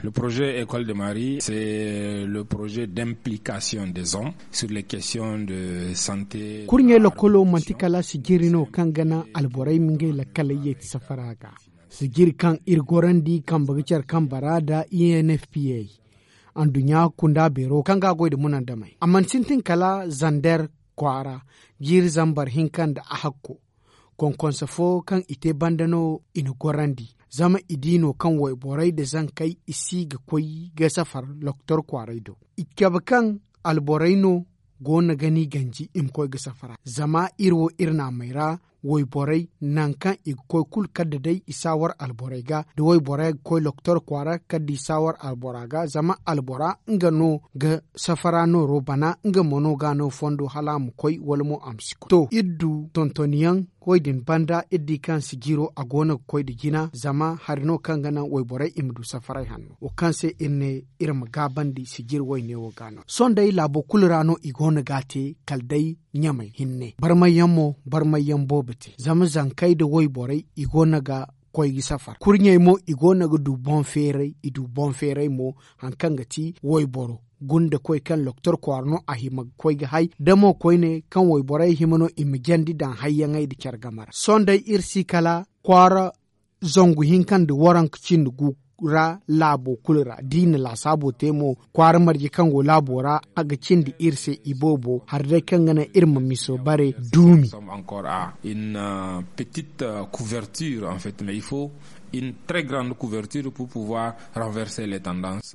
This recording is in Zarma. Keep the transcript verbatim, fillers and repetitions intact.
Le projet école de marie c'est le projet d'implication des hommes sur les questions de santé. Kurɲey lokolo manti kala sijiri no kaŋ ga naŋ alborey ma ngey lakkaley yeeti safara ga. Sijiri kaŋ iri gorandi kambe ga care kambe ra nda i n f p a, anduɲɲa kunda beero kaŋ ga a goy nda munandamey a mana sintin kala zander kwaara, jiiri zambar hinka nda a hakko. Konkonse fo kaŋ i te banda no i na gorandi, zama i di no kaŋ wayborey nda zankey i si ga koy ga safar loktor kwaaray do. I cabe kaŋ alborey no go no ga ni ganji i ma koy ga safara zama iri wo iri naamey ra. Wayborey nangu kaŋ i ga koy kulu kala da day i saawar alborey ga da wayborey ga koy loktor kwaara kala da i saawar albora ga zama albora nga no ga safara nooro bana nga mo no ga a no fondo hala a ma koy wala mo a ma si koy to iri du tontoniyaŋ. Wo- din banda iri di kaŋ sijiro a go no ga koy nda jina zama hari no kaŋ ga naŋ wayborey i ma du safaray hanno wo kaŋ se iri ne iri ma gaabandi sijiri wayne wo ga no sohõ day laabo kulu ra no i go no ga a te kala day ɲamey hinne barmayyaŋ mo barmayyaŋ boobo te zama zankey nda wayborey i go no ga koy ga safar kurɲey mo i go no ga du boŋ feeray i du boŋ feeray mo. Hari kaŋ ga ti wayboro gunda koy kaŋ loktor kwaara no a hima ga koy ga hay da mo koyne kaŋ wayborey hima no i ma jandi daŋ hayyaŋey nda care game ra sohõ day iri si kala kwaara zangu hinka nda waranka cindi gu ra laabo kulu ra da i na laasaabo te mo kwaara marje kaŋ go laabo ra a ga cindi iri se iboobo hari day kaŋ ga naŋ iri ma miso bare duumi. Encore à une petite couverture en fait mais il faut une très grande couverture pour pouvoir renverser les tendances.